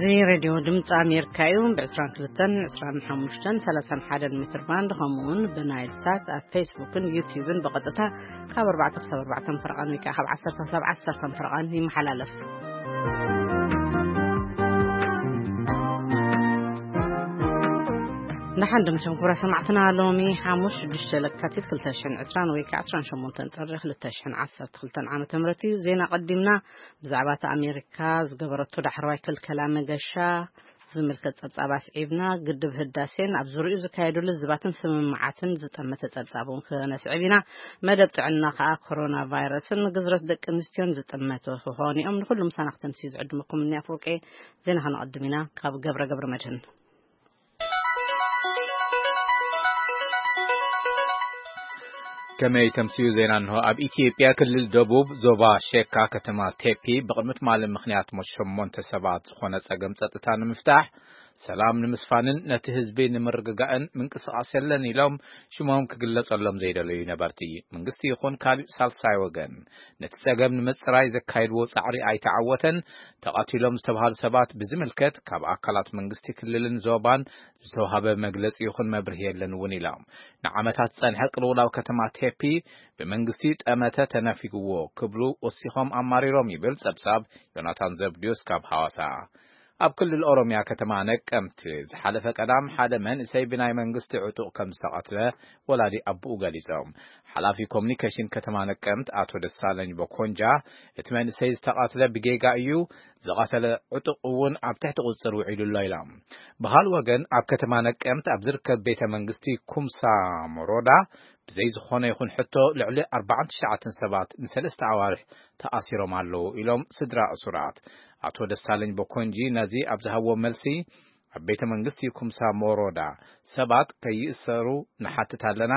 እዚ ሬድዮ ድምፂ ኣሜሪካ እዩ። ብ22፣ 25፣ 31 ሜትር ባንድ፣ ከምኡ እውን ብናይል ሳት ኣብ ፌስቡክን ዩቲዩብን ብቐጥታ ካብ ኣርባዕተ ክሳብ ኣርባዕተን ፈረቓን ወይ ከዓ ካብ ዓሰርተ ክሳብ ዓሰርተን ፈረቓን ይመሓላለፍ። ንሓን ድምሽም ክብረ ሰማዕትና፣ ሎሚ ሓሙስ ሽዱሽተ ለካቲት ክልተ ሽሕን ዕስራን ወይ ከዓ ዕስራን ሸሞንተን ጥሪ ክልተ ሽሕን ዓሰርተ ክልተን ዓመተ ምህረት እዩ። ዜና ቀዲምና። ብዛዕባ እቲ ኣሜሪካ ዝገበረቶ ዳሕረዋይ ክልከላ መገሻ ዝምልከት ጸብጻብ ኣስዒብና፣ ግድብ ህዳሴን ኣብ ዙሪኡ ዝካየዱ ልዝባትን ስምምዓትን ዝጠመተ ጸብጻብ እውን ክነስዕብ ኢና። መደብ ጥዕና ከኣ ኮሮና ቫይረስን ግዝረት ደቂ ኣንስትዮን ዝጠመቱ ክኾኑ እዮም። ንኹሉ ምሳና ክተምስዩ ዝዕድመኩም እኒ ኣፍወርቄ። ዜና ከነቐድም ኢና። ካብ ገብረ ገብረ መድህን። ከመይ ተምስዩ ዜና እንሆ። ኣብ ኢትዮጵያ ክልል ደቡብ ዞባ ሼካ ከተማ ቴፒ ብቕድሚ ትማሊ ምኽንያት ሞት ሸሞንተ ሰባት ዝኾነ ጸገም ጸጥታ ንምፍታሕ፣ ሰላም ንምስፋንን ነቲ ህዝቢ ንምርግጋእን ምንቅስቓስ የለን ኢሎም ሽሞም ክግለጸሎም ዘይደለዩ ነበርቲ። መንግስቲ ይኹን ካልእ ሳልሳይ ወገን ነቲ ጸገም ንምጽራይ ዘካየድዎ ጻዕሪ ኣይተዓወተን። ተቐቲሎም ዝተባሃሉ ሰባት ብዝምልከት ካብ ኣካላት መንግስቲ ክልልን ዞባን ዝተዋህበ መግለጺ ይኹን መብርሂ የለን እውን ኢሎም። ንዓመታት ዝጸንሐ ቅልውላው ከተማ ቴፒ ብመንግስቲ ጠመተ ተነፊግዎ ክብሉ ወሲኾም ኣማሪሮም ይብል ጸብጻብ ዮናታን ዘብድዮስ ካብ ሃዋሳ። ኣብ ክልል ኦሮምያ ከተማ ነቀምት ዝሓለፈ ቀዳም ሓደ መንእሰይ ብናይ መንግስቲ ዕጡቕ ከም ዝተቐትለ ወላዲ ኣቦኡ ገሊጾም። ሓላፊ ኮሙኒኬሽን ከተማ ነቀምት ኣቶ ደሳለኝ ቦኮንጃ፣ እቲ መንእሰይ ዝተቐትለ ብጌጋ እዩ፣ ዝቐተለ ዕጡቕ እውን ኣብ ትሕቲ ቁጽጽር ውዒሉ ኣሎ ኢሎም። ብኻልእ ወገን ኣብ ከተማ ነቀምት ኣብ ዝርከብ ቤተ መንግስቲ ኩምሳ ሞሮዳ ብዘይ ዝኾነ ይኹን ሕቶ ልዕሊ ኣርባዓን ትሽዓተን ሰባት ንሰለስተ ኣዋርሕ ተኣሲሮም ኣለዉ ኢሎም ስድራ እሱራት። ኣቶ ደሳለኝ ቦኮንጂ ነዚ ኣብ ዝሃብዎ መልሲ፣ ኣብ ቤተ መንግስቲ ኩምሳ ሞሮዳ ሰባት ከይእሰሩ ንሓትት ኣለና፣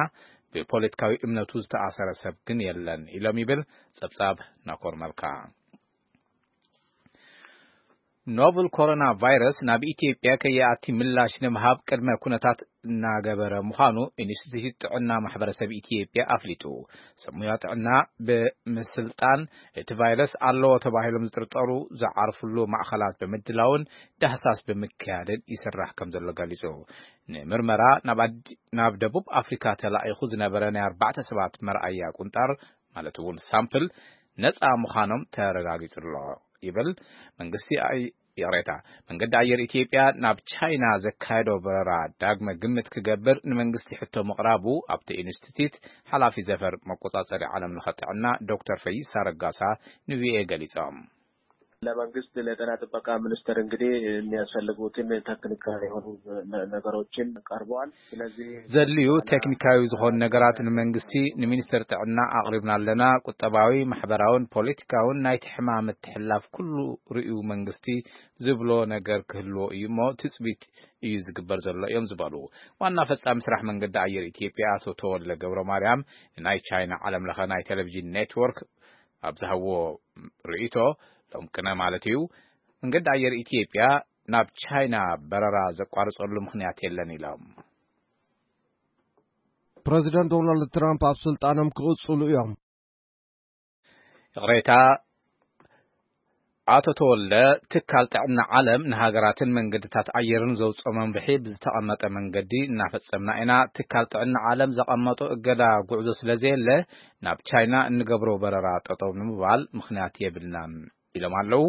ብፖለቲካዊ እምነቱ ዝተኣሰረ ሰብ ግን የለን ኢሎም ይብል ጸብጻብ ናኮር መልካ። ኖቨል ኮሮና ቫይረስ ናብ ኢትዮጵያ ከይኣቲ ምላሽ ንምሃብ ቅድመ ኩነታት እናገበረ ምዃኑ ኢንስቲትዩት ጥዕና ማሕበረሰብ ኢትዮጵያ ኣፍሊጡ። ሰብ ሞያ ጥዕና ብምስልጣን እቲ ቫይረስ ኣለዎ ተባሂሎም ዝጥርጠሩ ዝዓርፍሉ ማእኸላት ብምድላውን ዳህሳስ ብምክያድን ይስራሕ ከም ዘሎ ገሊጹ። ንምርመራ ናብ ኣዲ-፣ ናብ ደቡብ ኣፍሪካ ተላኢኹ ዝነበረ ናይ ኣርባዕተ ሰባት መርኣያ ቁንጣር ማለት እውን ሳምፕል ነፃ ምዃኖም ተረጋጊጹ ኣሎ ይብል መንግስቲ ኣይ-፣ ይቕሬታ፣ መንገዲ ኣየር ኢትዮጵያ ናብ ቻይና ዘካየዶ በረራ ዳግመ ግምት ክገብር ንመንግስቲ ሕቶ ምቕራቡ ኣብቲ ኢንስቲትዩት ሓላፊ ዘፈር መቆጻጸሪ ዓለም ለኸ ጥዕና ዶክተር ፈይሳ ረጋሳ ንቪኦኤ ገሊጾም። ለመንግስት ለጤና ጥበቃ ሚኒስቴር እንግዲህ የሚያስፈልጉትን ቴክኒካል የሆኑ ነ-፣ ነገሮችን ቀርበዋል። ስለዚህ ዘድልዩ ቴክኒካዊ ዝኾኑ ነገራት ንመንግስቲ፣ ንሚኒስቴር ጥዕና ኣቕሪብና ኣለና። ቁጠባዊ፣ ማሕበራውን ፖለቲካውን ናይቲ ሕማም ምትሕልላፍ ኩሉ ርእዩ መንግስቲ ዝብሎ ነገር ክህልዎ እዩ እሞ ትጽቢት እዩ ዝግበር ዘሎ እዮም ዝበሉ ዋና ፈጻሚ ስራሕ መንገዲ ኣየር ኢትዮጵያ ኣቶ ተወልደ ገብረ ማርያም ንናይ ቻይና ዓለም ለኸ ናይ ቴሌቪዥን ኔትወርክ ኣብ ዝሃብዎ ርእይቶ፣ ሎም ቅነ ማለት እዩ፣ መንገዲ ኣየር ኢትዮጵያ ናብ ቻይና በረራ ዘቋርጸሉ ምኽንያት የለን ኢሎም። ፕረዚደንት ዶናልድ ትራምፕ ኣብ ስልጣኖም ክቕጽሉ እዮም። ይቕሬታ፣ ኣቶ ተወልደ፣ ትካል ጥዕና ዓለም ንሃገራትን መንገድታት ኣየርን ዘውፅኦ መምርሒ ብዝተቐመጠ መንገዲ እናፈጸምና ኢና። ትካል ጥዕና ዓለም ዘቐመጦ እገዳ ጉዕዞ ስለ ዘየለ ናብ ቻይና እንገብሮ በረራ ጠጠው ንምባል ምኽንያት የብልናን ኢሎም ኣለዉ።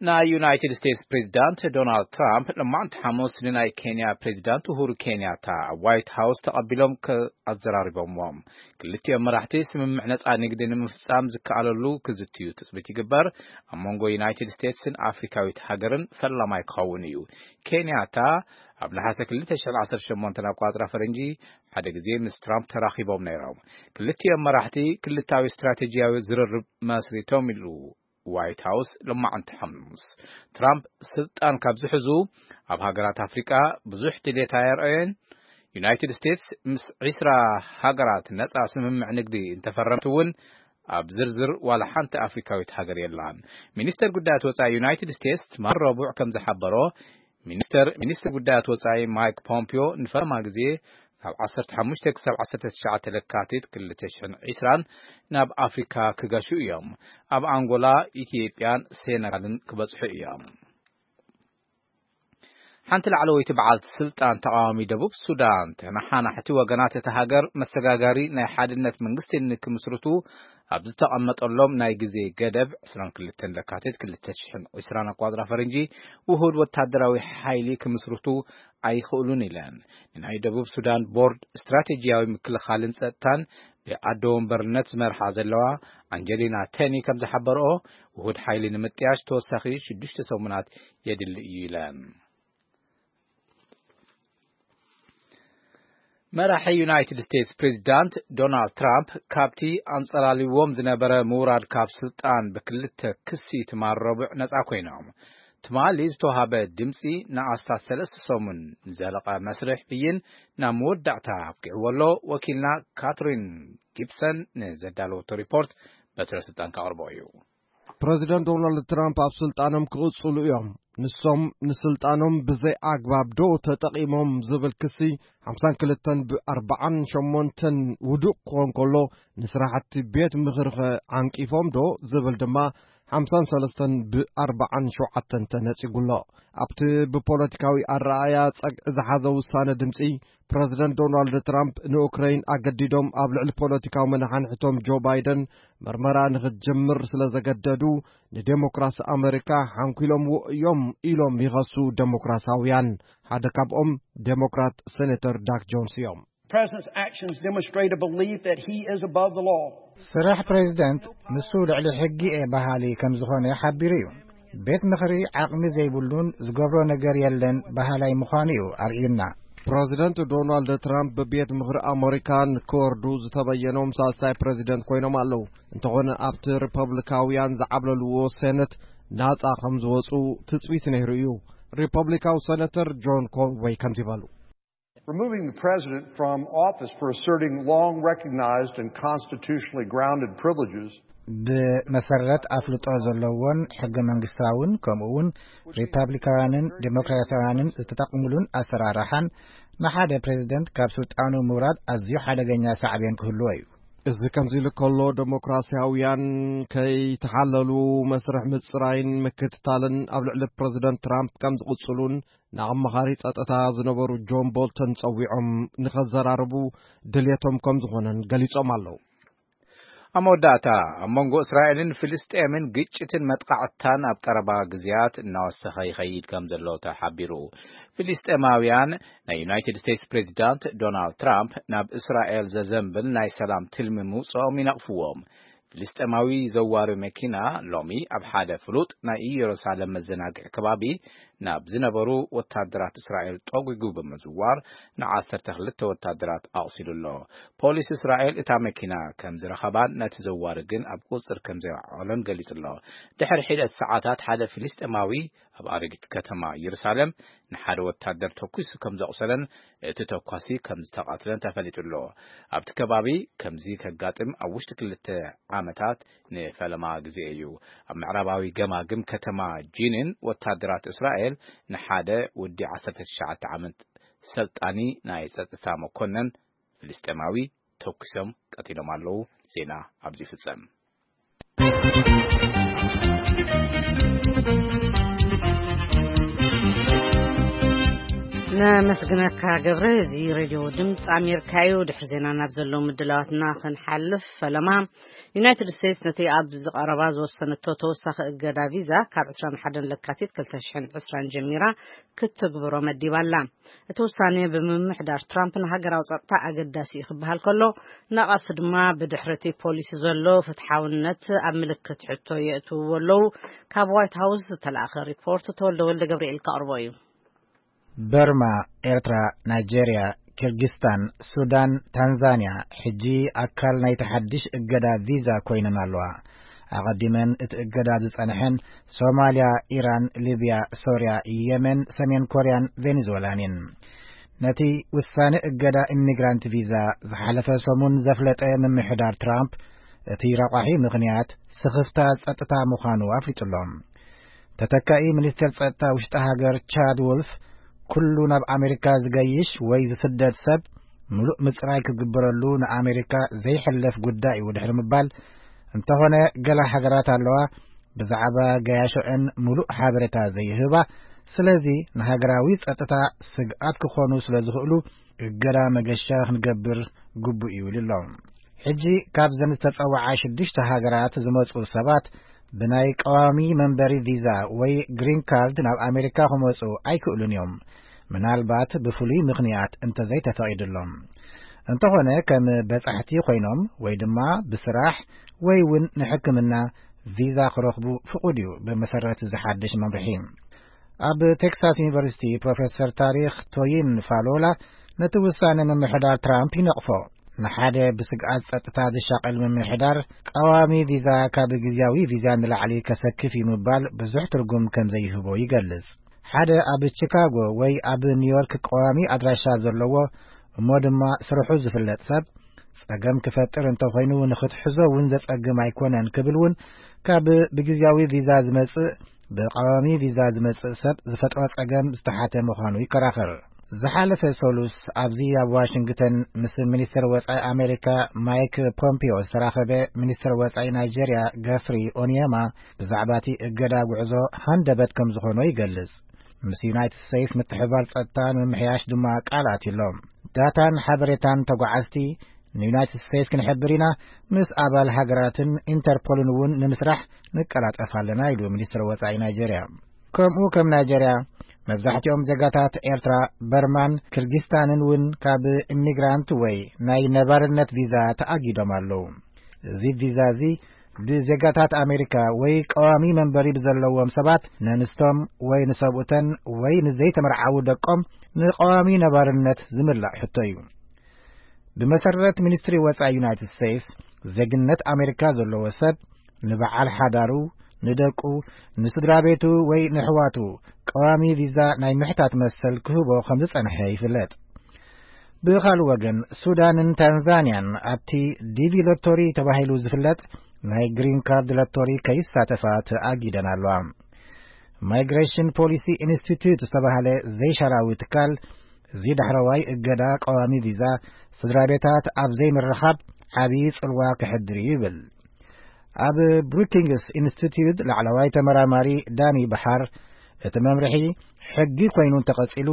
ናይ ዩናይትድ ስቴትስ ፕሬዚዳንት ዶናልድ ትራምፕ ሎማዕንቲ ሓሙስ ንናይ ኬንያ ፕሬዚዳንት ኡሁሩ ኬንያታ ኣብ ዋይት ሃውስ ተቐቢሎም ከ-፣ ኣዘራሪቦምዎም። ክልቲኦም መራሕቲ ስምምዕ ነጻ ንግዲ ንምፍጻም ዝከኣለሉ ክዝትዩ ትጽቢት ይግበር። ኣብ መንጎ ዩናይትድ ስቴትስን ኣፍሪካዊት ሃገርን ፈላማይ ክኸውን እዩ። ኬንያታ ኣብ ነሓሰ ክልተ ሽሕን ዓሰርተ ሸሞንተን ኣቋጽራ ፈረንጂ ሓደ ግዜ ምስ ትራምፕ ተራኺቦም ነይሮም። ክልቲኦም መራሕቲ ክልታዊ ስትራቴጂያዊ ዝርርብ መስሪቶም ኢሉ ዋይት ሃውስ ሎማዕንቲ ሓሙስ። ትራምፕ ስልጣን ካብ ዝሕዙ ኣብ ሃገራት ኣፍሪቃ ብዙሕ ድሌት ኣየርኣየን። ዩናይትድ ስቴትስ ምስ ዒስራ ሃገራት ነጻ ስምምዕ ንግዲ እንተፈረመት እውን ኣብ ዝርዝር ዋላ ሓንቲ ኣፍሪካዊት ሃገር የላን። ሚኒስተር ጉዳያት ወጻኢ ዩናይትድ ስቴትስ ትማሊ ረቡዕ ከም ዝሓበሮ፣ ሚኒስተር፣ ሚኒስተር ጉዳያት ወጻኢ ማይክ ፖምፒዮ ንፈለማ ግዜ ካብ ዓሰርተ ሓሙሽተ ክሳብ ዓሰርተ ትሽዓተ ለካቲት ክልተ ሽሕን ዕስራን ናብ ኣፍሪካ ክገሹ እዮም። ኣብ ኣንጎላ፣ ኢትዮጵያን ሴነጋልን ክበጽሑ እዮም። ሓንቲ ላዕለወይቲ በዓልቲ ስልጣን ተቓዋሚ ደቡብ ሱዳን፣ ተነሓናሕቲ ወገናት እታ ሃገር መሰጋጋሪ ናይ ሓድነት መንግስቲ ንክምስርቱ ኣብ ዝተቐመጠሎም ናይ ግዜ ገደብ ዕስራን ክልተን ለካቲት ክልተ ሽሕን ዕስራን ኣቋጽራ ፈረንጂ ውሁድ ወታደራዊ ሓይሊ ክምስርቱ ኣይኽእሉን ኢለን። ንናይ ደቡብ ሱዳን ቦርድ ስትራቴጂያዊ ምክልኻልን ጸጥታን ብኣዶ ወንበርነት ዝመርሓ ዘለዋ ኣንጀሊና ቴኒ ከም ዝሓበረኦ፣ ውሁድ ሓይሊ ንምጥያሽ ተወሳኺ ሽዱሽተ ሰሙናት የድሊ እዩ ኢለን። መራሒ ዩናይትድ ስቴትስ ፕሬዚዳንት ዶናልድ ትራምፕ ካብቲ ኣንጸላልዎም ዝነበረ ምውራድ ካብ ስልጣን ብክልተ ክሲ ትማል ረቡዕ ነጻ ኮይኖም። ትማሊ ዝተዋሃበ ድምጺ ንኣስታት ሰለስተ ሰሙን ንዘለቐ መስርሕ ብይን ናብ መወዳእታ ኣብቂዕዎ ኣሎ። ወኪልና ካትሪን ጊብሰን ንዘዳለወቶ ሪፖርት በትረ ስልጣን ከቕርቦ እዩ። ፕረዚደንት ዶናልድ ትራምፕ ኣብ ስልጣኖም ክቕጽሉ እዮም። ንሶም ንስልጣኖም ብዘይ ኣግባብ ዶ ተጠቒሞም ዝብል ክሲ ሓምሳን ክልተን ብ ኣርባዓን ሸሞንተን ውዱቕ ክኾን ከሎ፣ ንስራሕቲ ቤት ምኽሪ ኸ ዓንቂፎም ዶ ዝብል ድማ ሓምሳን ሰለስተን ብ ኣርባዓን ሸውዓተን ተነጺጉ ኣሎ። ኣብቲ ብፖለቲካዊ ኣረኣእያ ጸግዒ ዝሓዘ ውሳነ ድምጺ፣ ፕረዚደንት ዶናልድ ትራምፕ ንኡክረይን ኣገዲዶም ኣብ ልዕሊ ፖለቲካዊ መናሓንሕቶም ጆ ባይደን መርመራ ንኽትጅምር ስለ ዘገደዱ፣ ንዴሞክራሲ ኣመሪካ ሓንኲሎምዎ እዮም ኢሎም ይኸሱ ዴሞክራሳውያን። ሓደ ካብኦም ዴሞክራት ሴኔተር ዳክ ጆንስ እዮም። President's actions demonstrate a belief that he is above the law. ስራሕ ፕሬዚደንት ንሱ ልዕሊ ሕጊ እየ በሃሊ ከም ዝኾነ ሓቢሩ እዩ። ቤት ምኽሪ ዓቕሚ ዘይብሉን ዝገብሮ ነገር የለን በሃላይ ምዃኑ እዩ ኣርእዩና። ፕረዚደንት ዶናልድ ትራምፕ ብቤት ምኽሪ ኣመሪካ ንክወርዱ ዝተበየኖም ሳልሳይ ፕረዚደንት ኮይኖም ኣለዉ። እንተኾነ ኣብቲ ሪፐብሊካውያን ዝዓብለልዎ ሴነት ናጻ ከም ዝወጹ ትጽቢት ነይሩ እዩ። ሪፐብሊካዊ ሴነተር ጆን ኮንወይ ከምዚ በሉ። Removing the president from office for asserting long recognized and constitutionally grounded privileges ብመሰረት ኣፍልጦ ዘለዎን ሕገ መንግስታውን ከምኡ እውን ሪፓብሊካውያንን ዴሞክራሲያውያንን ዝተጠቕሙሉን ኣሰራርሓን ንሓደ ፕሬዚደንት ካብ ስልጣኑ ምውራድ ኣዝዩ ሓደገኛ ሳዕቤን ክህልዎ እዩ። እዚ ከምዚ ኢሉ ከሎ፣ ዴሞክራሲያውያን ከይተሓለሉ መስርሕ ምጽራይን ምክትታልን ኣብ ልዕሊ ፕሬዚደንት ትራምፕ ከም ዝቕጽሉን ንኣማኻሪ ጸጥታ ዝነበሩ ጆን ቦልተን ጸዊዖም ንኸዘራርቡ ድልየቶም ከም ዝኾነን ገሊጾም ኣለዉ። ኣብ መወዳእታ፣ ኣብ መንጎ እስራኤልን ፍልስጤምን ግጭትን መጥቃዕትታን ኣብ ቀረባ ግዜያት እናወሰኸ ይኸይድ ከም ዘሎ ተሓቢሩ። ፍልስጤማውያን ናይ ዩናይትድ ስቴትስ ፕሬዚዳንት ዶናልድ ትራምፕ ናብ እስራኤል ዘዘንብል ናይ ሰላም ትልሚ ምውፅኦም ይነቕፍዎም። ፍልስጤማዊ ዘዋሪ መኪና ሎሚ ኣብ ሓደ ፍሉጥ ናይ ኢየሩሳሌም መዘናግዒ ከባቢ ናብ ዝነበሩ ወታደራት እስራኤል ጠጒጉ ብምዝዋር ንዓሰርተ ክልተ ወታደራት ኣቑሲሉ ኣሎ። ፖሊስ እስራኤል እታ መኪና ከም ዝረኸባን ነቲ ዘዋሪ ግን ኣብ ቁጽጽር ከም ዘውዓሎን ገሊጹ ኣሎ። ድሕሪ ሒደት ሰዓታት ሓደ ፍልስጤማዊ ኣብ ኣረጊት ከተማ ኢየሩሳሌም ንሓደ ወታደር ተኲሱ ከም ዘቑሰለን እቲ ተኳሲ ከም ዝተቓትለን ተፈሊጡ ኣሎ። ኣብቲ ከባቢ ከምዚ ከጋጥም ኣብ ውሽጢ ክልተ ዓመታት ንፈለማ ግዜ እዩ። ኣብ ምዕራባዊ ገማግም ከተማ ጂኒን ወታደራት እስራኤል ንሓደ ወዲ ዓሰርተ ትሽዓተ ዓመት ሰልጣኒ ናይ ጸጥታ መኮነን ፍልስጤማዊ ተኩሶም ቀቲሎም ኣለዉ። ዜና ኣብዚ ይፍጸም። ነመስግነካ ገብረ። እዚ ሬድዮ ድምፂ ኣሜሪካ እዩ። ድሕሪ ዜና ናብ ዘለዉ ምድላዋትና ክንሓልፍ፣ ፈለማ ዩናይትድ ስቴትስ ነቲ ኣብዚ ቀረባ ዝወሰነቶ ተወሳኺ እገዳ ቪዛ ካብ ዕስራን ሓደን ለካቲት ክልተ ሽሕን ዕስራን ጀሚራ ክትትግብሮ መዲባ ኣላ። እቲ ውሳኔ ብምምሕዳር ትራምፕ ንሃገራዊ ጸጥታ ኣገዳሲ እዩ ክበሃል ከሎ፣ ነቐፍቲ ድማ ብድሕሪ እቲ ፖሊሲ ዘሎ ፍትሓውነት ኣብ ምልክት ሕቶ የእትውዎ ኣለዉ። ካብ ዋይት ሃውስ ዝተላእኸ ሪፖርት ተወልደ ወልደ ገብርኤል ከቕርቦ እዩ። በርማ፣ ኤርትራ፣ ናይጄርያ፣ ኪርጊስታን፣ ሱዳን፣ ታንዛንያ ሕጂ ኣካል ናይቲ ሓድሽ እገዳ ቪዛ ኮይነን ኣለዋ። ኣቐዲመን እቲ እገዳ ዝጸንሐን ሶማልያ፣ ኢራን፣ ሊብያ፣ ሶርያ፣ የመን፣ ሰሜን ኮርያን ቬኔዙዌላን እየን። ነቲ ውሳነ እገዳ ኢሚግራንት ቪዛ ዝሓለፈ ሰሙን ዘፍለጠ ምምሕዳር ትራምፕ፣ እቲ ረቋሒ ምኽንያት ስኽፍታ ጸጥታ ምዃኑ ኣፍሊጡ ኣሎ። ተተካኢ ሚኒስትር ጸጥታ ውሽጢ ሃገር ቻድ ወልፍ፣ ኩሉ ናብ ኣሜሪካ ዝገይሽ ወይ ዝስደድ ሰብ ምሉእ ምጽራይ ክግበረሉ ንኣሜሪካ ዘይሕለፍ ጉዳይ እዩ ድሕሪ ምባል፣ እንተኾነ ገለ ሃገራት ኣለዋ ብዛዕባ ገያሾአን ምሉእ ሓበሬታ ዘይህባ፣ ስለዚ ንሃገራዊ ጸጥታ ስግኣት ክኾኑ ስለ ዝኽእሉ እገዳ መገሻ ክንገብር ግቡእ እዩ ኢሉ ኣሎ። ሕጂ ካብዘን ዝተጸውዓ ሽዱሽተ ሃገራት ዝመጹ ሰባት ብናይ ቀዋሚ መንበሪ ቪዛ ወይ ግሪን ካርድ ናብ ኣሜሪካ ክመጹ ኣይክእሉን እዮም፣ ምናልባት ብፍሉይ ምኽንያት እንተዘይተፈቒዱሎም። እንተኾነ ከም በጻሕቲ ኮይኖም ወይ ድማ ብስራሕ ወይ እውን ንሕክምና ቪዛ ክረኽቡ ፍቑድ እዩ ብመሰረት ዝሓድሽ መምርሒ። ኣብ ቴክሳስ ዩኒቨርሲቲ ፕሮፌሰር ታሪኽ ቶይን ፋሎላ ነቲ ውሳነ ምምሕዳር ትራምፕ ይነቕፎ። ንሓደ ብስግኣት ጸጥታ ዝሻቐል ምምሕዳር ቀዋሚ ቪዛ ካብ ግዝያዊ ቪዛ ንላዕሊ ከሰክፍ እዩ ምባል ብዙሕ ትርጉም ከም ዘይህቦ ይገልጽ። ሓደ ኣብ ቺካጎ ወይ ኣብ ኒውዮርክ ቀዋሚ ኣድራሻ ዘለዎ እሞ ድማ ስርሑ ዝፍለጥ ሰብ ጸገም ክፈጥር እንተኾይኑ ንኽትሕዞ እውን ዘጸግም ኣይኮነን ክብል እውን ካብ ብግዝያዊ ቪዛ ዝመጽእ ብቀዋሚ ቪዛ ዝመጽእ ሰብ ዝፈጥሮ ጸገም ዝተሓተ ምዃኑ ይከራኸር። ዝሓለፈ ሰሉስ ኣብዚ ኣብ ዋሽንግተን ምስ ሚኒስትር ወጻኢ ኣሜሪካ ማይክ ፖምፒዮ ዝተራኸበ ሚኒስትር ወጻኢ ናይጄርያ ገፍሪ ኦኒየማ ብዛዕባ እቲ እገዳ ጉዕዞ ሃንደበት ከም ዝኾኖ ይገልጽ። ምስ ዩናይትድ ስቴትስ ምትሕብባር ጸጥታ ንምምሕያሽ ድማ ቃል ኣትዩሎም። ዳታን ሓበሬታን ተጓዓዝቲ ንዩናይትድ ስቴትስ ክንሕብር ኢና፣ ምስ ኣባል ሃገራትን ኢንተርፖልን እውን ንምስራሕ ንቀላጠፍ ኣለና ኢሉ ሚኒስትር ወጻኢ ናይጄርያ። ከምኡ ከም ናይጄርያ መብዛሕትኦም ዜጋታት ኤርትራ፣ በርማን ክርጊስታንን እውን ካብ ኢሚግራንት ወይ ናይ ነባርነት ቪዛ ተኣጊዶም ኣለዉ። እዚ ቪዛ እዚ ብዜጋታት ኣሜሪካ ወይ ቀዋሚ መንበሪ ብዘለዎም ሰባት ነንስቶም ወይ ንሰብኡተን ወይ ንዘይተመርዓዉ ደቆም ንቀዋሚ ነባርነት ዝምላእ ሕቶ እዩ። ብመሰረት ሚኒስትሪ ወጻኢ ዩናይትድ ስቴትስ ዜግነት ኣሜሪካ ዘለዎ ሰብ ንበዓል ሓዳሩ፣ ንደቁ፣ ንስድራ ቤቱ ወይ ንሕዋቱ ቀዋሚ ቪዛ ናይ ምሕታት መሰል ክህቦ ከም ዝጸንሐ ይፍለጥ። ብኻልእ ወገን ሱዳንን ታንዛንያን ኣብቲ ዲቪ ሎቶሪ ተባሂሉ ዝፍለጥ ናይ ግሪን ካርድ ሎቶሪ ከይሳተፋ ተኣጊደን ኣለዋ። ማይግሬሽን ፖሊሲ ኢንስቲትዩት ዝተባህለ ዘይሻራዊ ትካል እዚ ዳሕረዋይ እገዳ ቀዋሚ ቪዛ ስድራ ቤታት ኣብ ዘይምርኻብ ዓብዪ ጽልዋ ክሕድር እዩ ይብል። ኣብ ብሩኪንግስ ኢንስቲትዩት ላዕለዋይ ተመራማሪ ዳኒ በሓር እቲ መምርሒ ሕጊ ኮይኑ እንተቐጺሉ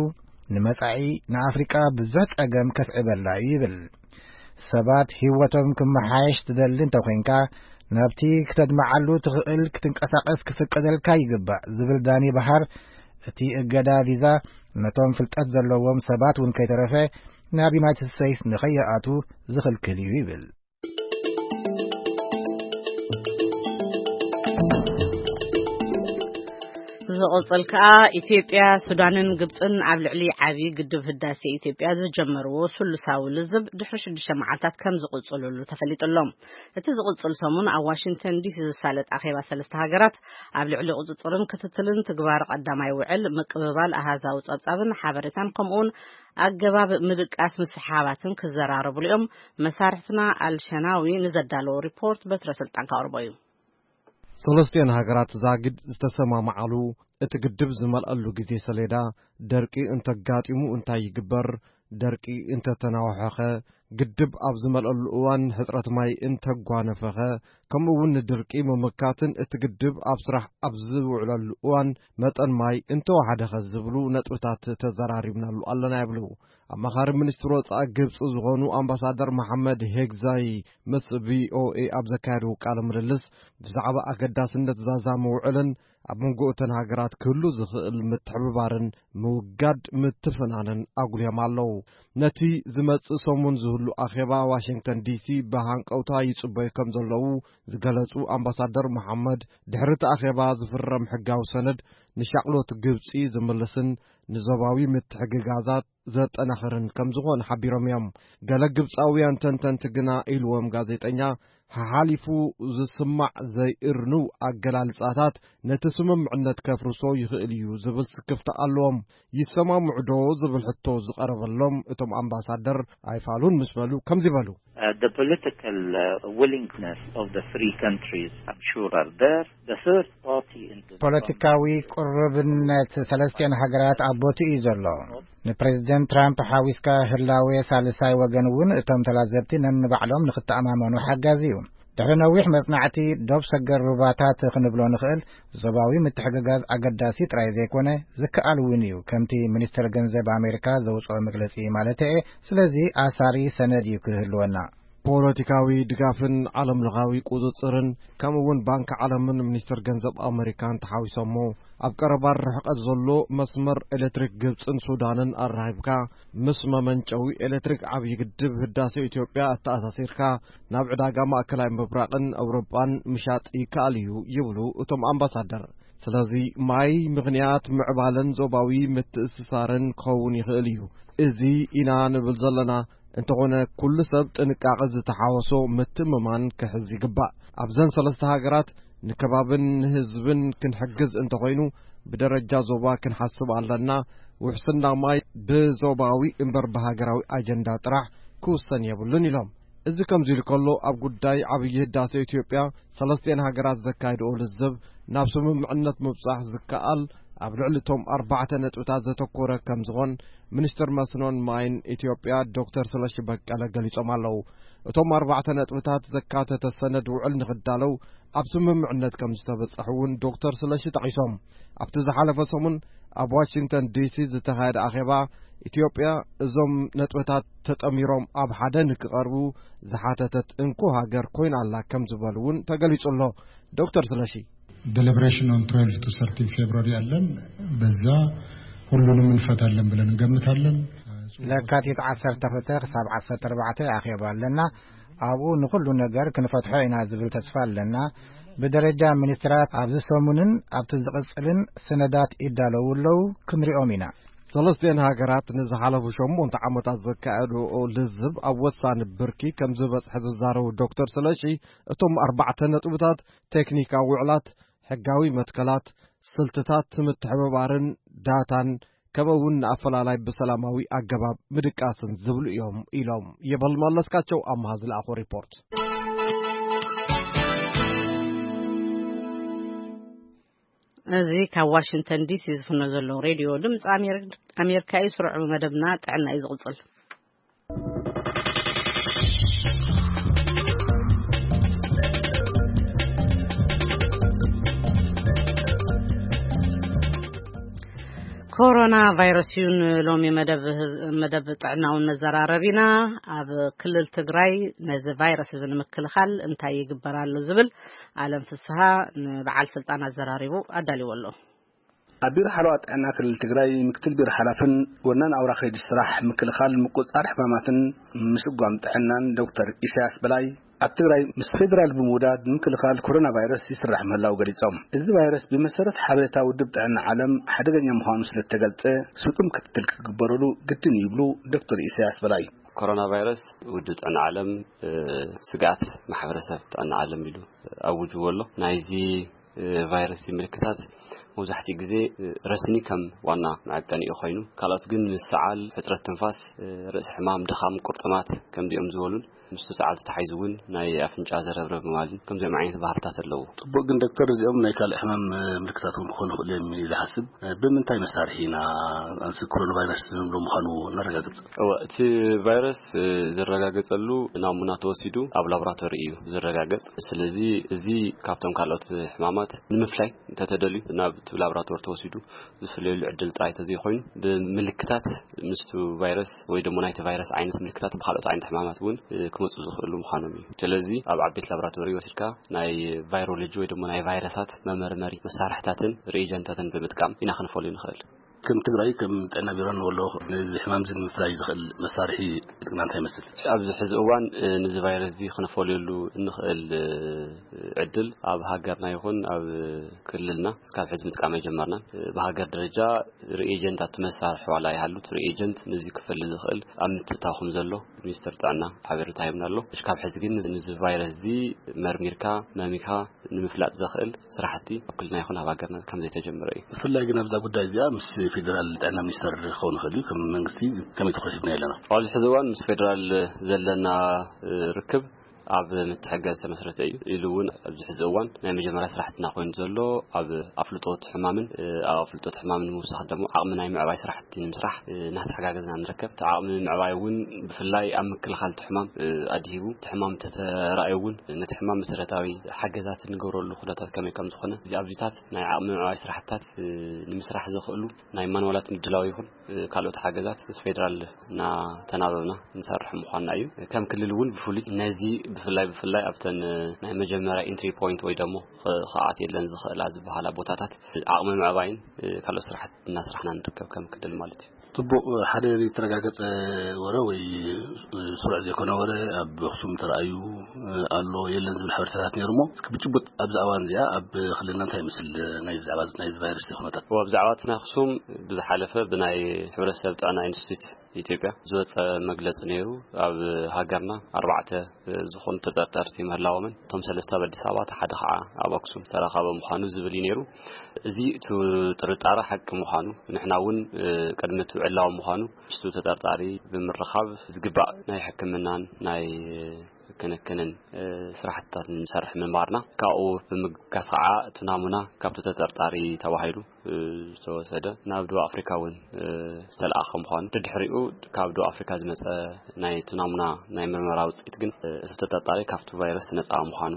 ንመጻኢ ንኣፍሪቃ ብዙሕ ጸገም ከስዕበላ እዩ ይብል። ሰባት ህይወቶም ክመሓየሽ ትደሊ እንተኾይንካ ናብቲ ክተድመዓሉ ትኽእል ክትንቀሳቐስ ክፍቀደልካ ይግባእ ዝብል ዳኒ በሓር እቲ እገዳ ቪዛ ነቶም ፍልጠት ዘለዎም ሰባት እውን ከይተረፈ ናብ ዩናይትድ ስቴትስ ንኸይኣቱ ዝኽልክል እዩ ይብል። ዝቕጽል ከኣ ኢትዮጵያ፣ ሱዳንን ግብጽን ኣብ ልዕሊ ዓቢ ግድብ ህዳሴ ኢትዮጵያ ዝጀመርዎ ስሉሳዊ ልዝብ ድሕሪ ሽዱሽተ መዓልታት ከም ዝቕጽልሉ ተፈሊጡ ኣሎ። እቲ ዝቕጽል ሰሙን ኣብ ዋሽንግተን ዲሲ ዝሳለጥ ኣኼባ ሰለስተ ሃገራት ኣብ ልዕሊ ቁጽጽርን ክትትልን ትግባር ቀዳማይ ውዕል ምቅብባል ኣሃዛዊ ጸብጻብን ሓበሬታን ከምኡውን ኣገባብ ምድቃስ ምስሕሓባትን ክዘራረብሉ እዮም። መሳርሕትና ኣልሸናዊ ንዘዳለዎ ሪፖርት በትረ ስልጣን ካቕርቦ እዩ። ሰለስቲኦን ሃገራት ዛግድ ዝተሰማማዓሉ እቲ ግድብ ዝመልኣሉ ግዜ ሰሌዳ፣ ደርቂ እንተጋጢሙ እንታይ ይግበር፣ ደርቂ እንተተናውሐኸ፣ ግድብ ኣብ ዝመልኣሉ እዋን ሕጽረት ማይ እንተጓነፈኸ፣ ከምኡ እውን ንድርቂ ምምካትን እቲ ግድብ ኣብ ስራሕ ኣብ ዝውዕለሉ እዋን መጠን ማይ እንተወሓደኸ ዝብሉ ነጥብታት ተዘራሪብናሉ ኣለና ይብሉ ኣማኻሪ ሚኒስትር ወጻኢ ግብጺ ዝኾኑ ኣምባሳደር መሓመድ ሄግዛይ ምስ ቪኦኤ ኣብ ዘካየድዎ ቃለ ምልልስ ብዛዕባ ኣገዳስነት ዛዛ ምውዕልን ኣብ መንጎ እተን ሃገራት ክህሉ ዝኽእል ምትሕብባርን ምውጋድ ምትፍናንን ኣጉልዮም ኣለዉ። ነቲ ዝመጽእ ሰሙን ዝህሉ ኣኼባ ዋሽንግተን ዲሲ ብሃንቀውታ ይጽበዩ ከም ዘለዉ ዝገለጹ ኣምባሳደር መሓመድ፣ ድሕሪ እቲ ኣኼባ ዝፍረም ሕጋዊ ሰነድ ንሻቕሎት ግብጺ ዝምልስን ንዞባዊ ምትሕግጋዛት ዘጠናኽርን ከም ዝኾነ ሓቢሮም እዮም። ገለ ግብጻውያን ተንተንቲ ግና ኢልዎም ጋዜጠኛ፣ ሓሓሊፉ ዝስማዕ ዘይእርንው ኣገላልጻታት ነቲ ስምምዕነት ከፍርሶ ይኽእል እዩ ዝብል ስክፍታ ኣለዎም። ይሰማምዑ ዶ ዝብል ሕቶ ዝቐረበሎም እቶም ኣምባሳደር ኣይፋሉን ምስ በሉ ከምዚ በሉ። Uh, the political uh, willingness of the three countries, I'm sure, are there. The third party in the ፖለቲካዊ ቅርብነት ሰለስቲኦን ሃገራት ኣብ ቦትኡ እዩ ዘሎ። ንፕሬዚደንት ትራምፕ ሓዊስካ ህላዌ ሳልሳይ ወገን እውን እቶም ተላዘብቲ ነንባዕሎም ንክተኣማመኑ ሓጋዚ እዩ። ድሕሪ ነዊሕ መጽናዕቲ፣ ዶብ ሰገር ሩባታት ክንብሎ ንኽእል፣ ዞባዊ ምትሕግጋዝ ኣገዳሲ ጥራይ ዘይኮነ፣ ዝከኣል እውን እዩ፣ ከምቲ ሚኒስተር ገንዘብ ኣሜሪካ ዘውጽኦ መግለጺ ማለተ'የ። ስለዚ ኣሳሪ ሰነድ እዩ ክህልወና። ፖለቲካዊ ድጋፍን ዓለምለኻዊ ቁጽጽርን፣ ከምኡ እውን ባንኪ ዓለምን ሚኒስተር ገንዘብ ኣሜሪካን ተሓዊሶሞ፣ ኣብ ቀረባ ርሕቀት ዘሎ መስመር ኤሌክትሪክ ግብጽን ሱዳንን ኣራኺብካ፣ ምስ መመንጨዊ ኤሌክትሪክ ዓብዪ ግድብ ህዳሴ ኢትዮጵያ ኣተኣሳሲርካ፣ ናብ ዕዳጋ ማእከላይ ምብራቕን ኣውሮጳን ምሻጥ ይከኣል እዩ ይብሉ እቶም ኣምባሳደር። ስለዚ ማይ ምኽንያት ምዕባለን ዞባዊ ምትእስሳርን ክኸውን ይኽእል እዩ። እዚ ኢና ንብል ዘለና። እንተኾነ ኩሉ ሰብ ጥንቃቐ ዝተሓወሶ ምትምማን ክሕዝ ይግባእ። ኣብዘን ሰለስተ ሃገራት ንከባብን ንህዝብን ክንሕግዝ እንተኾይኑ ብደረጃ ዞባ ክንሓስብ ኣለና። ውሕስና ማይ ብዞባዊ እምበር ብሃገራዊ ኣጀንዳ ጥራሕ ክውሰን የብሉን ኢሎም። እዚ ከምዚ ኢሉ ከሎ፣ ኣብ ጉዳይ ዓብዪ ህዳሴ ኢትዮጵያ ሰለስቲኤን ሃገራት ዘካየድኦ ልዝብ ናብ ስምምዕነት ምብጻሕ ዝከኣል ኣብ ልዕሊ እቶም ኣርባዕተ ነጥብታት ዘተኮረ ከም ዝኾን ሚኒስትር መስኖን ማይን ኢትዮጵያ ዶክተር ስለሺ በቀለ ገሊጾም ኣለዉ። እቶም ኣርባዕተ ነጥብታት ዘካተተ ሰነድ ውዕል ንኽዳለው ኣብ ስምምዕነት ከም ዝተበጸሑ እውን ዶክተር ስለሺ ጠቒሶም። ኣብቲ ዝሓለፈ ሰሙን ኣብ ዋሽንግተን ዲሲ ዝተኻየደ ኣኼባ፣ ኢትዮጵያ እዞም ነጥብታት ተጠሚሮም ኣብ ሓደ ንክቐርቡ ዝሓተተት እንኮ ሃገር ኮይና ኣላ ከም ዝበሉ እውን ተገሊጹ ኣሎ። ዶክተር ስለሺ፣ Deliberation on twelve to thirteen February አለን። በዛ ሁሉንም እንፈታለን ብለን እንገምታለን። ለካቲት ዓሰርተ ክልተ ክሳብ ዓሰርተ ኣርባዕተ ኣኼባ ኣለና። ኣብኡ ንኹሉ ነገር ክንፈትሖ ኢና ዝብል ተስፋ ኣለና። ብደረጃ ሚኒስትራት ኣብዚ ሰሙንን ኣብቲ ዝቕጽልን ሰነዳት ይዳለዉ ኣለዉ፣ ክንሪኦም ኢና። ሰለስቲኤን ሃገራት ንዝሓለፉ ሸሞንተ ዓመታት ዘካየድኦ ልዝብ ኣብ ወሳኒ ብርኪ ከም ዝበጽሐ ዝዛረቡ ዶክተር ስለሺ፣ እቶም ኣርባዕተ ነጥብታት ቴክኒካዊ ውዕላት፣ ሕጋዊ መትከላት፣ ስልትታት ምትሕብባርን ዳታን፣ ከምኡ እውን ንኣፈላላይ ብሰላማዊ ኣገባብ ምድቃስን ዝብሉ እዮም ኢሎም። ይበል መለስካቸው ኣምሃ ዝለኣኾ ሪፖርት። እዚ ካብ ዋሽንግተን ዲሲ ዝፍኖ ዘሎ ሬድዮ ድምፂ ኣሜር-፣ ኣሜሪካ እዩ። ስሩዕ መደብና ጥዕና እዩ ዝቕፅል። ኮሮና ቫይረስ እዩ ንሎሚ መደብ ህዝ-፣ መደብ ጥዕናውን መዘራረቢና። ኣብ ክልል ትግራይ ነዚ ቫይረስ እዚ ንምክልኻል እንታይ ይግበር ኣሎ ዝብል ኣለም ፍስሃ ንበዓል ስልጣን ኣዘራሪቡ ኣዳልዎ ኣሎ። ኣብ ቢሮ ሓለዋ ጥዕና ክልል ትግራይ ምክትል ቢሮ ሓላፍን ወናን ኣውራ ከይዲ ስራሕ ምክልኻል ምቁፅፃር ሕማማትን ምስጓም ጥዕናን ዶክተር ኢሳያስ በላይ፣ ኣብ ትግራይ ምስ ፌዴራል ብምውዳድ ንምክልኻል ኮሮና ቫይረስ ይስራሕ ምህላው ገሊፆም። እዚ ቫይረስ ብመሰረት ሓበሬታ ውድብ ጥዕና ዓለም ሓደገኛ ምዃኑ ስለተገልፀ ስጡም ክትትል ክግበረሉ ግድን ይብሉ ዶክተር ኢሳያስ በላይ። ኮሮና ቫይረስ ውድብ ጥዕና ዓለም፣ እ፣ ስግኣት ማሕበረሰብ ጥዕና ዓለም ኢሉ ኣውጅዎ ኣሎ። ናይዚ እ፣ ቫይረስ ምልክታት መብዛሕትኡ ግዜ፣ እ፣ ረስኒ ከም ዋና መዐቀኒኡ ኮይኑ፣ ካልኦት ግን ምስ ሰዓል፣ ሕጽረት ትንፋስ፣ እ፣ ርእሲ ሕማም፣ ድኻም፣ ቁርጥማት ከምዚኦም ዝበሉን ምስቲ ሰዓል ተታሒዙ እውን ናይ ኣፍንጫ ዘረብረብ ምባልን ከምዚኦም ዓይነት ባህርታት ኣለዉ። ጽቡቕ፣ ግን ዶክተር፣ እዚኦም ናይ ካልእ ሕማም፣ እ፣ ምልክታት እውን ክኾኑ ይኽእሉ እዮም ኢለ ዝሓስብ። እ፣ ብምንታይ መሳርሒ ኢና ኣንሲ ኮሮና ቫይረስ ንብሎ ምዃኑ ነረጋግጽ? እወ፣ እቲ ቫይረስ፣ እ፣ ዝረጋገጸሉ ናሙና ተወሲዱ ኣብ ላቦራቶሪ እዩ ዝረጋገጽ። ስለዚ እዚ ካብቶም ካልኦት ሕማማት ንምፍላይ እንተተደልዩ ናብ እቲ ላቦራቶሪ ተወሲዱ ዝፍለየሉ ዕድል ጥራይ ተዘይኮይኑ፣ ብምልክታት ምስቲ ቫይረስ ወይ ደሞ ናይቲ ቫይረስ ዓይነት ምልክታት ብካልኦት ዓይነት ሕማማት እውን፣ እ፣ ክመጹ ዝኽእሉ ምዃኖም እዩ። ስለዚ ኣብ ዓበይቲ ላቦራቶሪ ወሲድካ ናይ ቫይሮሎጂ ወይ ደሞ ናይ ቫይረሳት መመርመሪ መሳርሕታትን ሪኤጀንታትን ብምጥቃም ኢና ክንፈልዮ ንኽእል። ከም ትግራይ፣ ከም ጥዕና ቢሮን ወሎ ነዚ ሕማም እዚ ንምፍላይ ዝኽእል መሳርሒ ዕጥቅና እንታይ ይመስል? ኣብዚ ሕዚ እዋን፣ እ፣ ነዚ ቫይረስ እዚ ክነፈልየሉ እንኽእል፣ እ፣ ዕድል ኣብ ሃገርና ይኹን ኣብ ክልልና እስካብ ሕዚ ምጥቃም ኣይጀመርናን። እ፣ ብሃገር ደረጃ ሪኤጀንት ኣብቲ መሳርሒ ዋላ ይሃሉ፣ እቲ ሪኤጀንት ነዚ ክፈሊ ዝኽእል ኣብ ምትእትታው ከም ዘሎ ሚኒስትር ጥዕና ሓበሬታ ሂብና ኣሎ። እስካብ ሕዚ ግን ነዚ ቫይረስ እዚ መርሚርካ፣ መሚኻ፣ ንምፍላጥ ዘኽእል ስራሕቲ ኣብ ክልልና ይኹን ኣብ ሃገርና ከም ዘይተጀመረ እዩ። ብፍላይ ግን ኣብዛ ጉዳይ እዚኣ ምስ ፌደራል ጥዕና ሚኒስተር ክኸውን ይኽእል እዩ። ከም መንግስቲ ከመይ ትኹረት ሂብና ኣለና? ኣብዚ ሕዚ እዋን ምስ ፌደራል ዘለና፣ እ፣ ርክብ ኣብ ምትሕግጋዝ ዝተመስረተ እዩ። ኢሉ እውን ኣብዚ ሕዚ እዋን ናይ መጀመርያ ስራሕትና ኮይኑ ዘሎ ኣብ ኣፍልጦ እቲ ሕማምን፣ እ፣ ኣብ ኣፍልጦ እቲ ሕማምን ንምውሳኽ ደግሞ ዓቕሚ ናይ ምዕባይ ስራሕቲ ንምስራሕ፣ እ፣ እናተሓጋገዝና ንርከብ። እቲ ዓቕሚ ምዕባይ እውን ብፍላይ ኣብ ምክልኻል እቲ ሕማም፣ እ፣ ኣድሂቡ እቲ ሕማም እንተተራእዩ እውን ነቲ ሕማም መሰረታዊ ሓገዛት እንገብረሉ ኩነታት ከመይ ከም ዝኾነ፣ እዚ ኣብዚታት ናይ ዓቕሚ ምዕባይ ስራሕትታት፣ እ፣ ንምስራሕ ዘኽእሉ ናይ ማንዋላት ምድላው ይኹን፣ እ፣ ካልኦት ሓገዛት ምስ ፌደራል እናተናበብና ንሰርሕ ምዃንና እዩ። ከም ክልል እውን ብፍሉይ ነዚ ብፍላይ ብፍላይ ኣብተን፣ እ፣ ናይ መጀመርያ ኢንትሪ ፖይንት ወይ ደሞ ኸ-፣ ክኣት የለን ዝኽእላ ዝበሃላ ቦታታት ዓቕሚ ምዕባይን፣ እ፣ ካልኦት ስራሕቲ እናስራሕና ንርከብ ከም ክልል ማለት እዩ። ጽቡቕ፣ ሓደ ዘይተረጋገጸ ወረ ወይ፣ እ፣ ስሩዕ ዘይኮነ ወረ ኣብ ኣኽሱም ተራእዩ፣ እ፣ ኣሎ የለን ዝብል ሓበሬታታት ነይሩ እሞ፣ እስኪ ብጭቡጥ ኣብዛ እዋን እዚኣ ኣብ ክልልና እንታይ ይመስል ናይ ዛዕባ ናይዚ ቫይረስ ኩነታት? ኣብ ዛዕባ እቲ ናይ ኣኽሱም ብዝሓለፈ ብናይ ሕብረተሰብ ጥዕና ኢንስቲትዩት ኢትዮጵያ ዝወፀ መግለፂ ነይሩ። ኣብ ሃገርና ኣርባዕተ ዝኾኑ ተጠርጠርቲ ምህላዎምን፣ እቶም ሰለስተ ኣብ ኣዲስ ኣበባ፣ እቲ ሓደ ከዓ ኣብ ኣክሱም ዝተረኸበ ምዃኑ ዝብል እዩ ነይሩ። እዚ እቲ ጥርጣረ ሓቂ ምዃኑ፣ ንሕና እውን፣ እ፣ ቅድሚ እቲ ዕላዊ ምዃኑ ምስቱ ተጠርጣሪ ብምርኻብ ዝግባእ ናይ ሕክምናን ናይ ክንክንን፣ እ፣ ስራሕትታት ንሰርሕ ምንባርና፣ ካብኡ ብምብጋስ ከዓ እቲ ናሙና ካብቲ ተጠርጣሪ ተባሂሉ ዝተወሰደ ናብ ደቡብ ኣፍሪካ እውን ዝተለኣኸ ምዃኑ፣ ድድሕሪኡ ካብ ደቡብ ኣፍሪካ ዝመፀ ናይ እቲ ናሙና ናይ ምርመራ ውፅኢት ግን እቲ ተጠርጣሪ ካብቲ ቫይረስ ነፃ ምዃኑ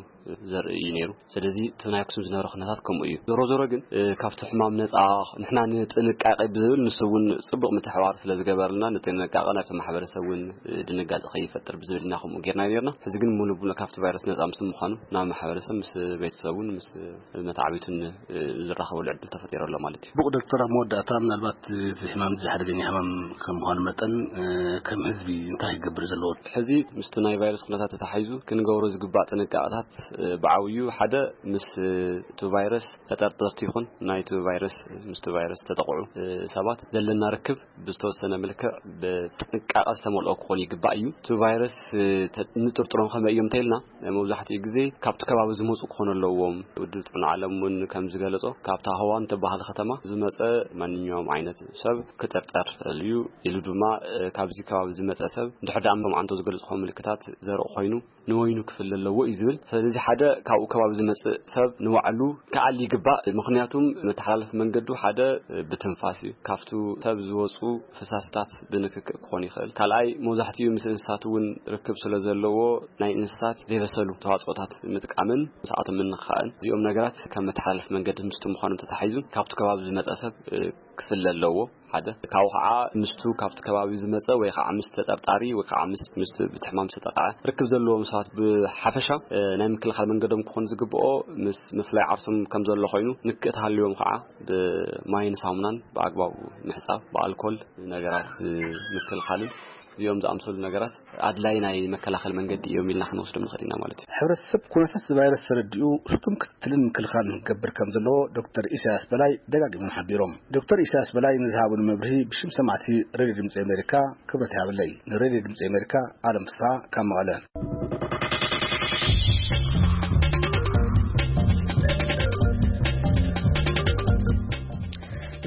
ዘርኢ እዩ ነይሩ። ስለዚ እቲ ናይ ኣክሱም ዝነበረ ኩነታት ከምኡ እዩ። ዞሮ ዞሮ ግን ካብቲ ሕማም ነፃ ንሕና ንጥንቃቄ ብዝብል ንሱ እውን ፅቡቅ ምትሕባር ስለ ዝገበርልና፣ ንጥንቃቄ ናብቲ ማሕበረሰብ እውን ድንጋፀ ከይፈጥር ብዝብል ኢና ከምኡ ጌርና ነርና። ሕዚ ግን ሙሉ ብሙሉ ካብቲ ቫይረስ ነፃ ምስ ምዃኑ ናብ ማሕበረሰብ ምስ ቤተሰቡን ምስ መተዓቢቱን ዝራኸበሉ ዕድል ተፈጢሩ ኣሎ ማለት እዩ። ብቑ ዶክተር፣ ኣብ መወዳእታ ምናልባት እዚ ሕማም እዚ ሓደገኛ ሕማም ከም ምዃኑ መጠን ከም ህዝቢ እንታይ ክገብር ዘለዎ? ሕዚ ምስቲ ናይ ቫይረስ ኩነታት ተታሒዙ ክንገብሮ ዝግባእ ጥንቃቐታት ብዓብዩ ሓደ ምስ እቲ ቫይረስ ተጠርጠርቲ ይኹን ናይቲ ቫይረስ ምስቲ ቫይረስ ተጠቕዑ ሰባት ዘለና ርክብ ብዝተወሰነ መልክዕ ብጥንቃቐ ዝተመልኦ ክኾን ይግባእ እዩ። እቲ ቫይረስ ንጥርጥሮም ከመይ እዮም እንተኢልና፣ መብዛሕትኡ ግዜ ካብቲ ከባቢ ዝመፁ ክኾኑ ኣለዎም። ውድብ ጥዕና ዓለም እውን ከም ዝገለጾ፣ ካብታ ሆዋን ተባህል ከተማ ዝመጸ ማንኛውም ዓይነት ሰብ ክጥርጠር ይኽእል እዩ። ኢሉ ድማ፣ እ፣ ካብዚ ከባቢ ዝመጸ ሰብ እንድሕር ደኣ እቶም ዓንቶ ዝገልጽዎ ምልክታት ዘርኢ ኮይኑ፣ ንወይኑ ክፍለ ኣለዎ እዩ ዝብል። ስለዚ ሓደ ካብኡ ከባቢ ዝመጽእ ሰብ ንባዕሉ ክኣሊ ይግባእ። ምኽንያቱም መተሓላለፊ መንገዱ ሓደ፣ እ፣ ብትንፋስ እዩ። ካብቱ ሰብ ዝወጹ ፈሳስታት ብንክክእ ክኾን ይኽእል። ካልኣይ፣ መብዛሕትኡ ምስ እንስሳት እውን ርክብ ስለ ዘለዎ፣ ናይ እንስሳት ዘይበሰሉ ተዋጽኦታት ምጥቃምን ምስኣቶም ምንኽኻእን፣ እዚኦም ነገራት ካብ መተሓላለፊ መንገዲ ምስቱ ምዃኖም ተታሒዙ፣ ካብቲ ከባቢ ዝመጸ ሰብ፣ እ፣ ክፍለ ኣለዎ። ሓደ፣ ካብኡ ኸዓ ምስቱ ካብቲ ከባቢ ዝመጸ ወይ ኸዓ ምስ ተጠርጣሪ ወይ ኸዓ ምስ፣ ምስ ብቲ ሕማም ዝተጠቕዐ ርክብ ዘለዎም ሰባት ብሓፈሻ፣ እ፣ ናይ ምክልኻል መንገዶም ክኾን ዝግብኦ ምስ ምፍላይ ዓርሶም ከም ዘሎ ኮይኑ፣ ንክእ ተሃልዮም ኸዓ ብማይን ሳሙናን ብኣግባቡ ምሕጻብ፣ ብኣልኮል ነገራት ምክልኻልን እዚኦም ዝኣምሰሉ ነገራት ኣድላይ ናይ መከላኸሊ መንገዲ እዮም ኢልና ክንወስዶም ንኽእል ኢና ማለት እዩ። ሕብረተሰብ ኩነታት እዚ ቫይረስ ተረዲኡ ስቱም ክትትልን ምክልኻልን ክገብር ከም ዘለዎ ዶክተር ኢሳያስ በላይ ደጋጊሞም ሓቢሮም። ዶክተር ኢሳያስ በላይ ንዝሃቡን መብርሂ ብሽም ሰማዕቲ ሬድዮ ድምፂ ኣሜሪካ ክብረት ይሃበለይ። ንሬድዮ ድምፂ ኣሜሪካ ኣለም ፍስሓ ካብ መቐለ።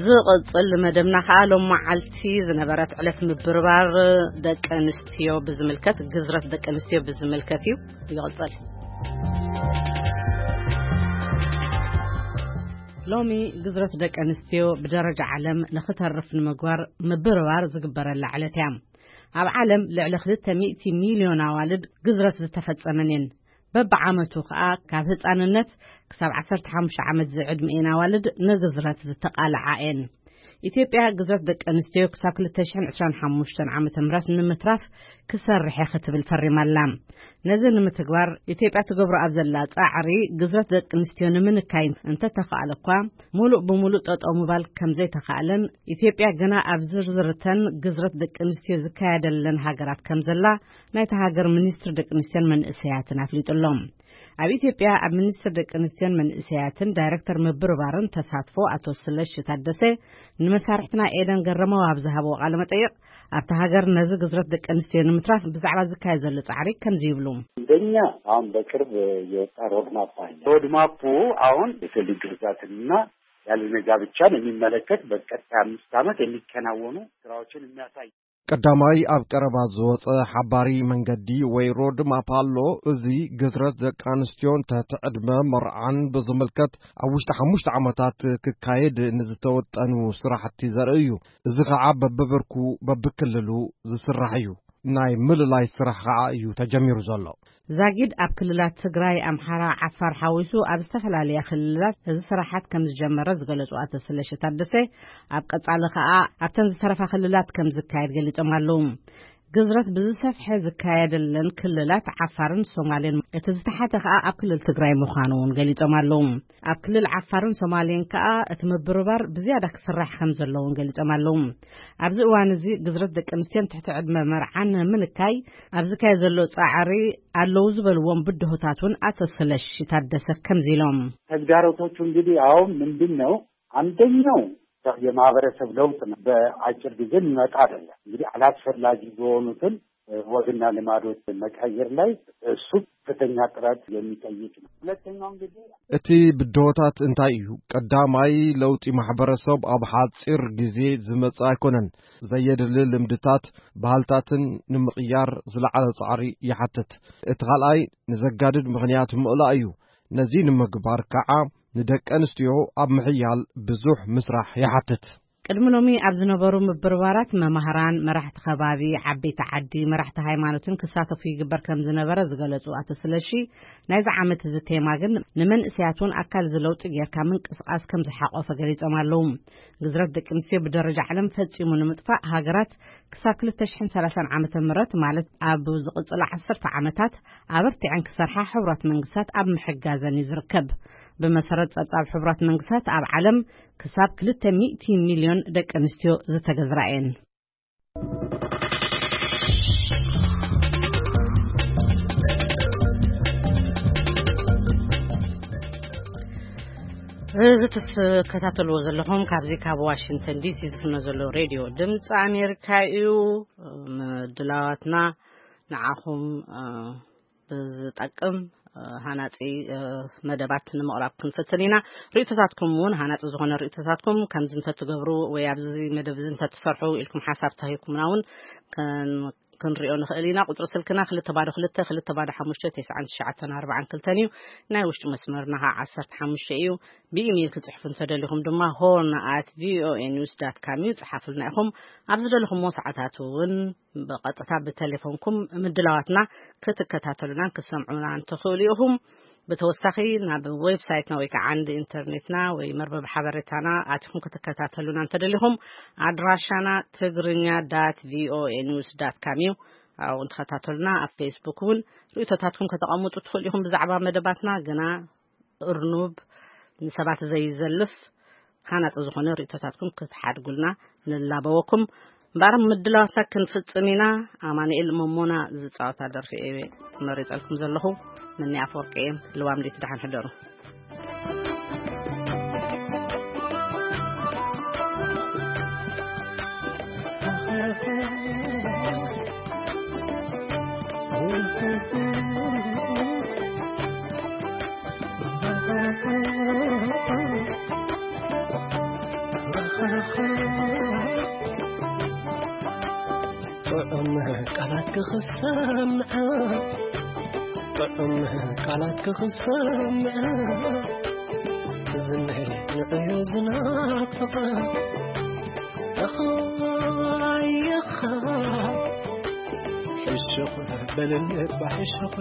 ዝቕጽል መደብና ከኣ ሎም መዓልቲ ዝነበረት ዕለት ምብርባር ደቂ ኣንስትዮ ብዝምልከት፣ ግዝረት ደቂ ኣንስትዮ ብዝምልከት እዩ። ይቕጽል። ሎሚ ግዝረት ደቂ ኣንስትዮ ብደረጃ ዓለም ንኽተርፍ ንምግባር ምብርባር ዝግበረላ ዕለት እያ። ኣብ ዓለም ልዕሊ ክልተ ሚእቲ ሚልዮን ኣዋልድ ግዝረት ዝተፈጸመን እየን። በብዓመቱ ከኣ ካብ ህጻንነት ክሳብ ዓሰርተ ሓሙሽተ ዓመት ዝዕድሚኤን ኣዋልድ ንግዝረት ዝተቓልዓ እየን። ኢትዮጵያ ግዝረት ደቂ ኣንስትዮ ክሳብ ክልተ ሽሕን ዕስራን ሓሙሽተን ዓመተ ምህረት ንምትራፍ ክሰርሕ እየ ክትብል ፈሪማ ኣላ። ነዚ ንምትግባር ኢትዮጵያ ትገብሮ ኣብ ዘላ ጻዕሪ ግዝረት ደቂ ኣንስትዮ ንምንካይ እንተተኻእለ እኳ፣ ሙሉእ ብሙሉእ ጠጠው ምባል ከም ዘይተኻእለን፣ ኢትዮጵያ ግና ኣብ ዝርዝርተን ግዝረት ደቂ ኣንስትዮ ዝካየደለን ሃገራት ከም ዘላ ናይታ ሃገር ሚኒስትሪ ደቂ ኣንስትዮን መንእሰያትን ኣፍሊጡ ኣሎ። ኣብ ኢትዮጵያ ኣብ ሚኒስትሪ ደቂ ኣንስትዮን መንእሰያትን ዳይሬክተር ምብርባርን ተሳትፎ ኣቶ ስለሺ ታደሰ ንመሳርሕትና ኤደን ገረመው ኣብ ዝሃብዎ ቃለ መጠይቕ፣ ኣብታ ሃገር ነዚ ግዝረት ደቂ ኣንስትዮ ንምትራፍ ብዛዕባ ዝካየድ ዘሎ ጻዕሪ ከምዚ ይብሉ። እንደኛ አሁን በቅርብ የወጣ ሮድማፕ አለ። ሮድማፑ አሁን የሰው ልጅ ግርዛትንና ያለ ጋብቻን የሚመለከት በቀጣይ አምስት ዓመት የሚከናወኑ ስራዎችን የሚያሳይ ቀዳማይ ኣብ ቀረባ ዝወጸ ሓባሪ መንገዲ ወይ ሮድ ማፕ ኣሎ። እዚ ግዝረት ደቂ ኣንስትዮን ትሕቲ ዕድመ መርዓን ብዝምልከት ኣብ ውሽጢ ሓሙሽተ ዓመታት ክካየድ ንዝተወጠኑ ስራሕቲ ዘርኢ እዩ። እዚ ኸዓ በብብርኩ በብክልሉ ዝስራሕ እዩ። ናይ ምልላይ ስራሕ ኸዓ እዩ ተጀሚሩ ዘሎ። ዛጊድ ኣብ ክልላት ትግራይ፣ ኣምሓራ፣ ዓፋር ሓዊሱ ኣብ ዝተፈላለያ ክልላት እዚ ስራሓት ከም ዝጀመረ ዝገለጹ ኣቶ ስለሺ ታደሰ፣ ኣብ ቀጻሊ ኸኣ ኣብተን ዝተረፋ ክልላት ከም ዝካየድ ገሊጾም ኣለዉ። ግዝረት ብዝሰፍሐ ዝካየደለን ክልላት ዓፋርን ሶማሌን፣ እቲ ዝተሓተ ኸኣ ኣብ ክልል ትግራይ ምዃኑ እውን ገሊጾም ኣለዉ። ኣብ ክልል ዓፋርን ሶማሌን ከኣ እቲ ምብርባር ብዝያዳ ክስራሕ ከም ዘለዎን ገሊጾም ኣለዉ። ኣብዚ እዋን እዚ ግዝረት ደቂ ኣንስትዮን ትሕቲ ዕድመ መርዓን ንምንካይ ኣብ ዝካየድ ዘሎ ጻዕሪ ኣለዉ ዝበልዎም ብድሆታት እውን ኣቶ ስለሺ ታደሰ ከምዚ ኢሎም። ተግዳሮቶቹ እንግዲህ አሁን ምንድን ነው? አንደኛው የማህበረሰብ ለውጥ ነው። በአጭር ጊዜ የሚመጣ አይደለም። እንግዲህ አላስፈላጊ የሆኑትን ወግና ልማዶች መቀየር ላይ እሱ ከፍተኛ ጥረት የሚጠይቅ ነው። ሁለተኛው እንግዲህ እቲ ብድሆታት እንታይ እዩ? ቀዳማይ፣ ለውጢ ማሕበረሰብ ኣብ ሓጺር ግዜ ዝመጽእ ኣይኮነን። ዘየድሊ ልምድታት፣ ባህልታትን ንምቕያር ዝለዓለ ጻዕሪ ይሓትት። እቲ ካልኣይ፣ ንዘጋድድ ምኽንያት ምእላእ እዩ። ነዚ ንምግባር ከዓ ንደቂ ኣንስትዮ ኣብ ምሕያል ብዙሕ ምስራሕ ይሓትት። ቅድሚ ሎሚ ኣብ ዝነበሩ ምብርባራት መማህራን፣ መራሕቲ ከባቢ፣ ዓበይቲ ዓዲ፣ መራሕቲ ሃይማኖትን ክሳተፉ ይግበር ከም ዝነበረ ዝገለጹ ኣቶ ስለሺ፣ ናይዚ ዓመት እዚ ቴማ ግን ንመንእሰያት እውን ኣካል እዚ ለውጢ ጌርካ ምንቅስቃስ ከም ዝሓቆፈ ገሊጾም ኣለዉ። ግዝረት ደቂ ኣንስትዮ ብደረጃ ዓለም ፈጺሙ ንምጥፋእ ሃገራት ክሳብ ክልተ ሽሕን ሰላሳን ዓመተ ምህረት፣ ማለት ኣብ ዝቕጽላ ዓሰርተ ዓመታት ኣበርቲዐን ክሰርሓ ሕቡራት መንግስታት ኣብ ምሕጋዘን እዩ ዝርከብ። ብመሰረት ጸብጻብ ሕቡራት መንግስታት ኣብ ዓለም ክሳብ ክልተ ሚእቲ ሚልዮን ደቂ ኣንስትዮ ዝተገዝራ እየን። እዚ ትከታተልዎ ዘለኹም ካብዚ ካብ ዋሽንግተን ዲሲ ዝፍኖ ዘሎ ሬድዮ ድምፂ ኣሜሪካ እዩ። ምድላዋትና ንዓኹም፣ እ፣ ብዝጠቅም፣ እ፣ ሃናፂ፣ እ፣ መደባት ንምቕራብ ክንፍትን ኢና። ርእይቶታትኩም እውን፣ ሃናፂ ዝኾነ ርእይቶታትኩም፣ ከምዚ እንተትገብሩ ወይ ኣብዚ መደብ እዚ እንተትሰርሑ ኢልኩም ሓሳብ ተሂብኩምና እውን ከን-፣ ክንሪኦ ንኽእል ኢና። ቁፅሪ ስልክና ክልተ ባዶ ክልተ፣ ክልተ ባዶ ሓሙሽተ፣ ተስዓን ትሽዓተን ኣርባዓን ክልተን እዩ። ናይ ውሽጢ መስመርና ከዓ ዓሰርተ ሓሙሽተ እዩ። ብኢሜይል ክጽሕፉ እንተደሊኹም ድማ ሆርን ኣት ቪኦኤ ኒውስ ዳት ካም እዩ፣ ጽሓፉልና ኢኹም። ኣብ ዝደለኹምዎ ሰዓታት እውን ብቐጥታ ብቴሌፎንኩም ምድላዋትና ክትከታተሉናን ክትሰምዑናን ትኽእሉ ኢኹም። ብተወሳኺ ናብ ዌብሳይትና ወይ ከዓ ዓንዲ ኢንተርኔትና ወይ መርበብ ሓበሬታና ኣቲኹም ክትከታተሉና እንተደሊኹም፣ ኣድራሻና ትግርኛ ዳት ቪኦኤ ኒውስ ዳት ካም እዩ። ኣብኡ ንተኸታተሉና። ኣብ ፌስቡክ እውን ርእይቶታትኩም ከተቐምጡ ትኽእሉ ኢኹም። ብዛዕባ መደባትና ግና እርኑብ፣ ንሰባት ዘይዘልፍ፣ ሃናጺ ዝኾነ ርእይቶታትኩም ክትሓድጉልና ንላበወኩም። እምበኣር ምድላዋትና ክንፍጽም ኢና። ኣማኑኤል መሞና ዝጻወታ ደርፊ እየ መሪጸልኩም ዘለኹ። ምኒ ኣፈወርቂ እየ። ልዋም ሌት፣ ደሓን ሕደሩ። ጥዑም ቃላት ክኽሰምዐ፣ ጥዑም ቃላት ክኽሰምዐ፣ ዝነይ ንዕዮ ዝናፍቐ። ኣኻይኻ ሕሹኽ በልኒ እባ ሕሹኽ።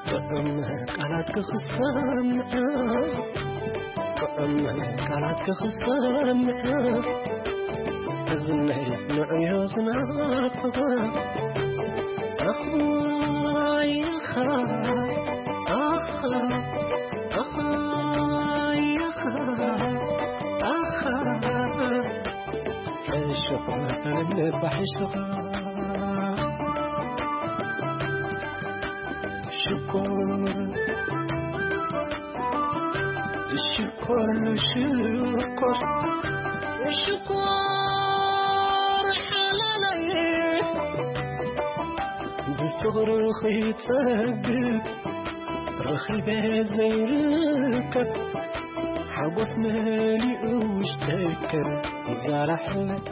ጥዑም ቃላት ክኽሰምዐ፣ ጥዑም ቃላት ክኽሰምዐ፣ እዝነይ ንዕዮ ዝናፍቐ። ኣኻይኻ፣ ኣኻ፣ ኣኻይኻ፣ ኣኻ። ሕሹኽ በልኒ እባ ሕሹኽ። ሽኮር፣ ሽኮር፣ ሽኮር፣ ሽኮር ሓላለይ፣ ብፍቕሪ ኸይጸግብ ረኺበ ዘይርከብ። ሓጎስ መሊኡ ውሽጠይ ከም ዛላ ሕልታ።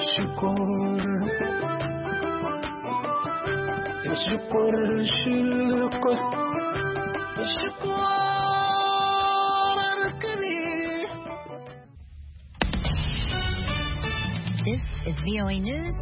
ሽኮር፣ ሽኮር፣ ሽኮር፣ ሽኮር ኣርክኒ። This is V O A News.